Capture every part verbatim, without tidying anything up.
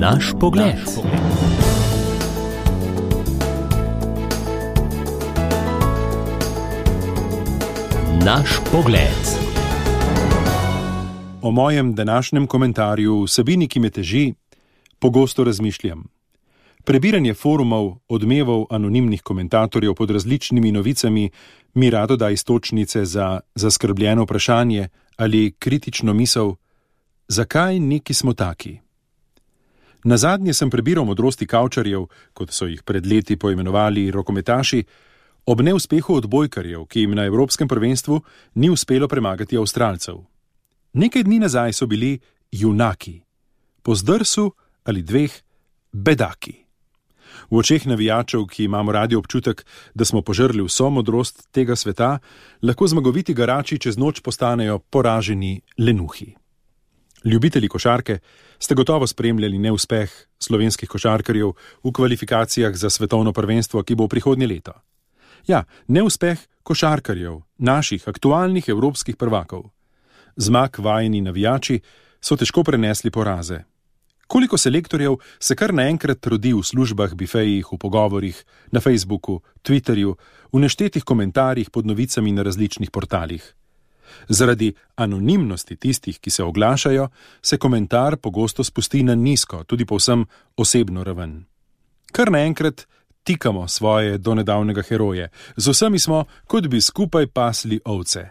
Naš pogled. Naš pogled. O mojem današnjem komentarju, vsebini, ki me teži, pogosto razmišljam. Prebiranje forumov, odmevov anonimnih komentatorjev pod različnimi novicami mi rado da iztočnice za zaskrbljeno vprašanje ali kritično misel, zakaj neki smo taki. Nazadnje sem prebiral modrosti kavčarjev, kot so jih pred leti poimenovali rokometaši, ob neuspehu odbojkarjev, ki jim na Evropskem prvenstvu ni uspelo premagati Avstralcev. Nekaj dni nazaj so bili junaki, po zdrsu ali dveh bedaki. V očeh navijačev, ki imamo radi občutek, da smo požrli vso modrost tega sveta, lahko zmagoviti garači čez noč postanejo poraženi lenuhi. Ljubitelji košarke ste gotovo spremljali neuspeh slovenskih košarkarjev v kvalifikacijah za svetovno prvenstvo, ki bo prihodnje leto. Ja, neuspeh košarkarjev, naših aktualnih evropskih prvakov. Zmag vajeni navijači so težko prenesli poraze. Koliko selektorjev se kar naenkrat rodi v službah, bifejih, v pogovorih, na Facebooku, Twitterju, v neštetih komentarjih pod novicami na različnih portalih. Zaradi anonimnosti tistih, ki se oglašajo, se komentar pogosto spusti na nizko, tudi povsem osebno raven. Kar naenkrat tikamo svoje donedavnega heroje, z vsemi smo, kot bi skupaj pasli ovce.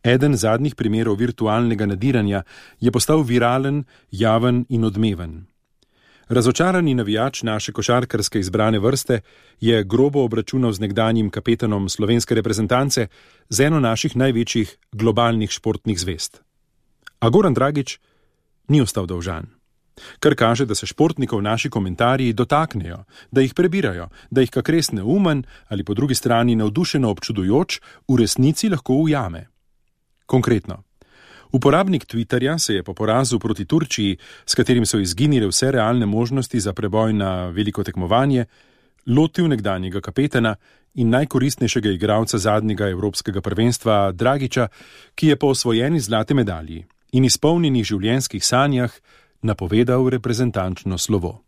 Eden zadnjih primerov virtualnega nadiranja je postal viralen, javen in odmeven. Razočarani navijač naše košarkarske izbrane vrste je grobo obračunal z nekdanjim kapetanom slovenske reprezentance z eno naših največjih globalnih športnih zvest. A Goran Dragić ni ostal dolžan. Kar kaže, da se športnikov naši komentarji dotaknejo, da jih prebirajo, da jih kak res neumen ali po drugi strani navdušeno občudujoč v resnici lahko ujame. Konkretno. Uporabnik Twitterja se je po porazu proti Turčiji, s katerim so izginile vse realne možnosti za preboj na veliko tekmovanje, lotil nekdanjega kapetana in najkoristnejšega igralca zadnjega evropskega prvenstva Dragića, ki je po osvojeni zlate medalji in izpolnjenih življenjskih sanjah napovedal reprezentančno slovo.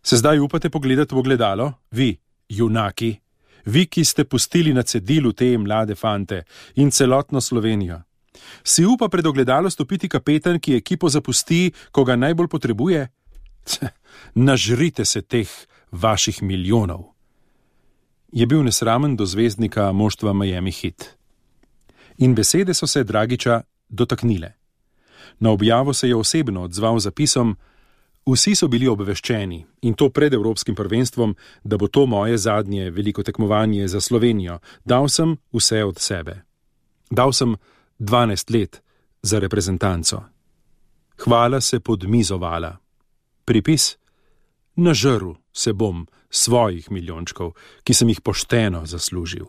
Se zdaj upate pogledati v ogledalo? Vi, junaki, vi, ki ste pustili na cedilu te mlade fante in celotno Slovenijo. Si upa pred ogledalo stopiti kapetan, ki ekipo zapusti, ko ga najbolj potrebuje? Nažrite se teh vaših milijonov. Je bil nesramen do zvezdnika moštva Miami Heat. In besede so se Dragića dotaknile. Na objavo se je osebno odzval zapisom: vsi so bili obveščeni, in to pred Evropskim prvenstvom, da bo to moje zadnje veliko tekmovanje za Slovenijo. Dal sem vse od sebe. Dal sem dvanajst let za reprezentanco. Hvala se podmizovala. Pripis: nažrl se bom svojih milijončkov, ki sem jih pošteno zaslužil.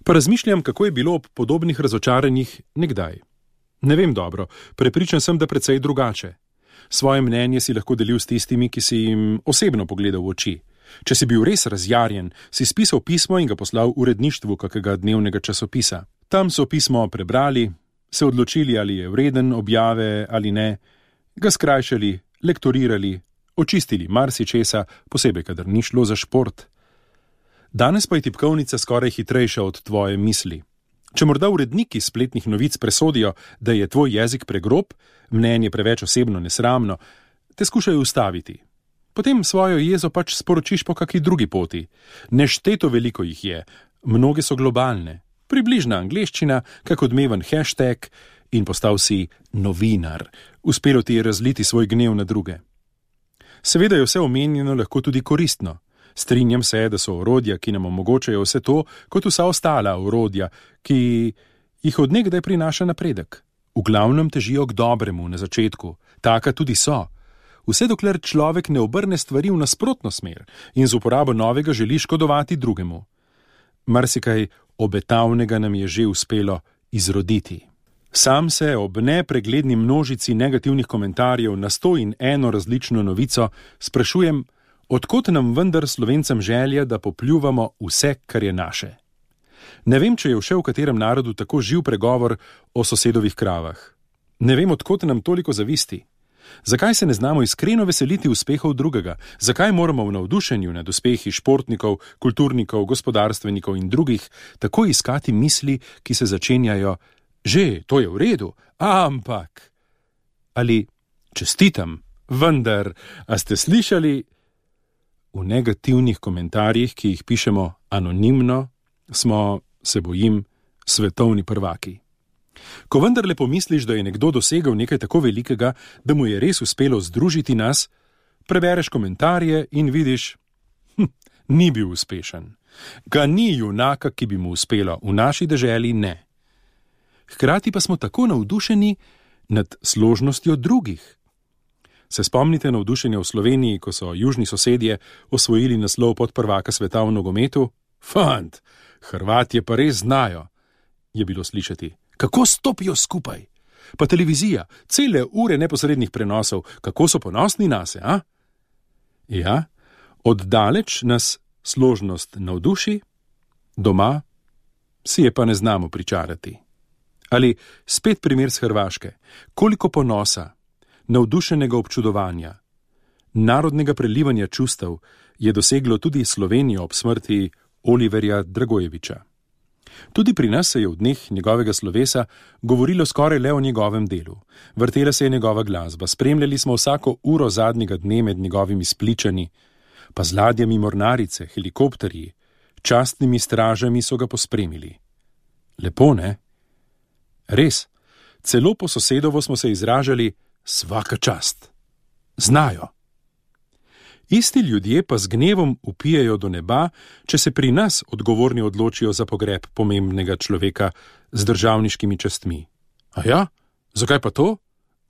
Pa razmišljam, kako je bilo ob podobnih razočaranjih nekdaj. Ne vem dobro, prepričan sem, da precej drugače. Svoje mnenje si lahko delil s tistimi, ki si jim osebno pogledal v oči. Če si bil res razjarjen, si spisal pismo in ga poslal uredništvu kakega dnevnega časopisa. Tam so pismo prebrali, se odločili, ali je vreden objave ali ne, ga skrajšali, lektorirali, očistili marsičesa, posebej, kadar ni šlo za šport. Danes pa je tipkovnica skoraj hitrejša od tvoje misli. Če morda uredniki spletnih novic presodijo, da je tvoj jezik pregrob, mnenje preveč osebno nesramno, te skušajo ustaviti. Potem svojo jezo pač sporočiš po kakšni drugi poti. Nešteto veliko jih je, mnoge so globalne. Približna angleščina, kak odmeven hashtag in postal si novinar. Uspelo ti je razliti svoj gnev na druge. Seveda je vse omenjeno lahko tudi koristno. Strinjam se, da so orodja, ki nam omogočajo vse to, kot vsa ostala orodja, ki jih od nekdaj prinaša napredek. V glavnem težijo k dobremu na začetku, taka tudi so. Vse dokler človek ne obrne stvari v nasprotno smer in z uporabo novega želi škodovati drugemu. Marsikaj obetavnega nam je že uspelo izroditi. Sam se ob nepregledni množici negativnih komentarjev na sto in eno različno novico sprašujem, od kod nam vendar Slovencem želja, da popljuvamo vse, kar je naše. Ne vem, če je še v katerem narodu tako živ pregovor o sosedovih kravah. Ne vem, odkot nam toliko zavisti. Zakaj se ne znamo iskreno veseliti uspehov drugega? Zakaj moramo v navdušenju nad uspehi športnikov, kulturnikov, gospodarstvenikov in drugih tako iskati misli, ki se začenjajo: že, to je v redu, ampak. Ali čestitam, vendar, a ste slišali? V negativnih komentarjih, ki jih pišemo anonimno, smo, se bojim, svetovni prvaki. Ko vendarle pomisliš, da je nekdo dosegel nekaj tako velikega, da mu je res uspelo združiti nas, prebereš komentarje in vidiš, hm, ni bil uspešen. Ga ni junaka, ki bi mu uspelo, v naši deželi ne. Hkrati pa smo tako navdušeni nad složnostjo drugih. Se spomnite navdušenja v Sloveniji, ko so južni sosedje osvojili naslov podprvaka sveta v nogometu? Fant, Hrvatje pa res znajo, je bilo slišati. Kako stopijo skupaj? Pa televizija, cele ure neposrednih prenosov, kako so ponosni nase, a? Ja, oddaleč nas složnost navduši, doma si je pa ne znamo pričarati. Ali spet primer z Hrvaške, koliko ponosa, navdušenega občudovanja, narodnega prelivanja čustev je doseglo tudi Slovenijo ob smrti Oliverja Dragojevića. Tudi pri nas se je v dneh njegovega slovesa govorilo skoraj le o njegovem delu. Vrtela se je njegova glasba, spremljali smo vsako uro zadnjega dne med njegovimi spličani, pa z ladjami mornarice, helikopterji, častnimi stražami so ga pospremili. Lepo, ne? Res, celo po sosedovo smo se izražali svaka čast. Znajo. Isti ljudje pa z gnevom vpijejo do neba, če se pri nas odgovorni odločijo za pogreb pomembnega človeka z državniškimi častmi. A ja? Zakaj pa to?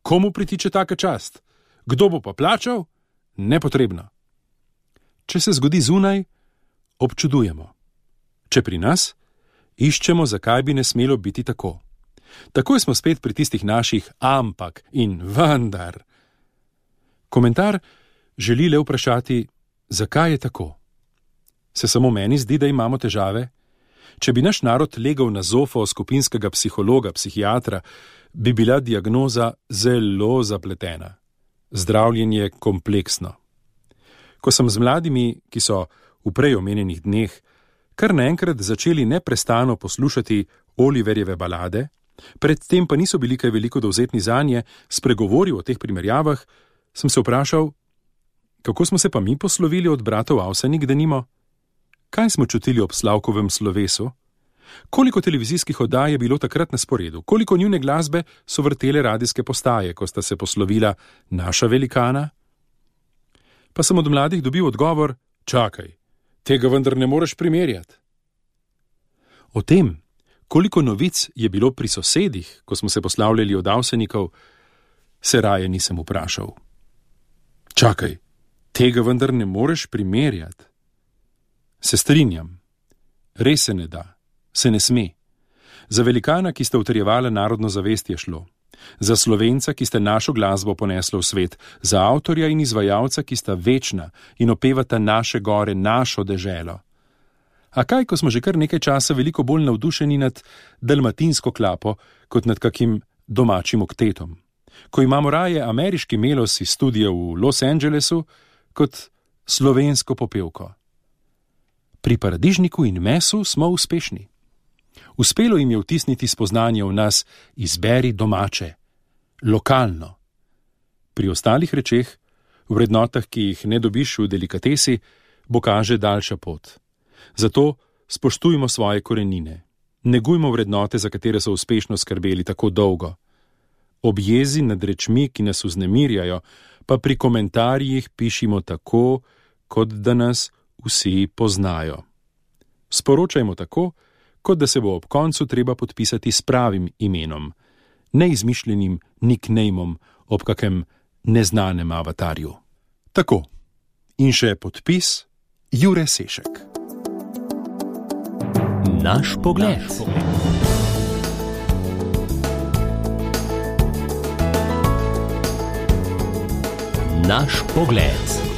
Komu pritiče taka čast? Kdo bo pa plačal? Nepotrebno. Če se zgodi zunaj, občudujemo. Če pri nas, iščemo, zakaj bi ne smelo biti tako. Takoj smo spet pri tistih naših ampak in vendar. Komentar želi le vprašati, zakaj je tako. Se samo meni zdi, da imamo težave? Če bi naš narod legal na zofo skupinskega psihologa, psihiatra, bi bila diagnoza zelo zapletena. Zdravljenje kompleksno. Ko sem z mladimi, ki so v prej omenjenih dneh, kar naenkrat začeli neprestano poslušati Oliverjeve balade, predtem pa niso bili kaj veliko dovzetni zanje, spregovoril o teh primerjavah, sem se vprašal, kako smo se pa mi poslovili od bratov Avsenik, denimo? Kaj smo čutili ob Slavkovem slovesu? Koliko televizijskih oddaj je bilo takrat na sporedu? Koliko njune glasbe so vrtele radijske postaje, ko sta se poslovila naša velikana? Pa sem od mladih dobil odgovor, čakaj, tega vendar ne moreš primerjati. O tem, koliko novic je bilo pri sosedih, ko smo se poslavljali od Avsenikov, se raje nisem vprašal. Čakaj, tega vendar ne moreš primerjati. Se strinjam. Res se ne da. Se ne sme. Za velikana, ki sta utrjevala narodno zavest, je šlo. Za Slovenca, ki sta našo glasbo ponesla v svet. Za avtorja in izvajalca, ki sta večna in opevata naše gore, našo deželo. A kaj, ko smo že kar nekaj časa veliko bolj navdušeni nad dalmatinsko klapo, kot nad kakim domačim oktetom? Ko imamo raje ameriški melos iz studia v Los Angelesu, kot slovensko popevko. Pri paradižniku in mesu smo uspešni. Uspelo jim je vtisniti spoznanje v nas, izberi domače, lokalno. Pri ostalih rečeh, v vrednotah, ki jih ne dobiš v delikatesi, bo kaže daljša pot. Zato spoštujmo svoje korenine. Negujmo vrednote, za katere so uspešno skrbeli tako dolgo. Ob jezi nad rečmi, ki nas vznemirjajo, pa pri komentarjih pišimo tako, kot da nas vsi poznajo. Sporočajmo tako, kot da se bo ob koncu treba podpisati s pravim imenom, neizmišljenim nicknameom ob kakem neznanem avatarju. Tako. In še podpis Jure Sešek. Naš pogled. Naš pogled.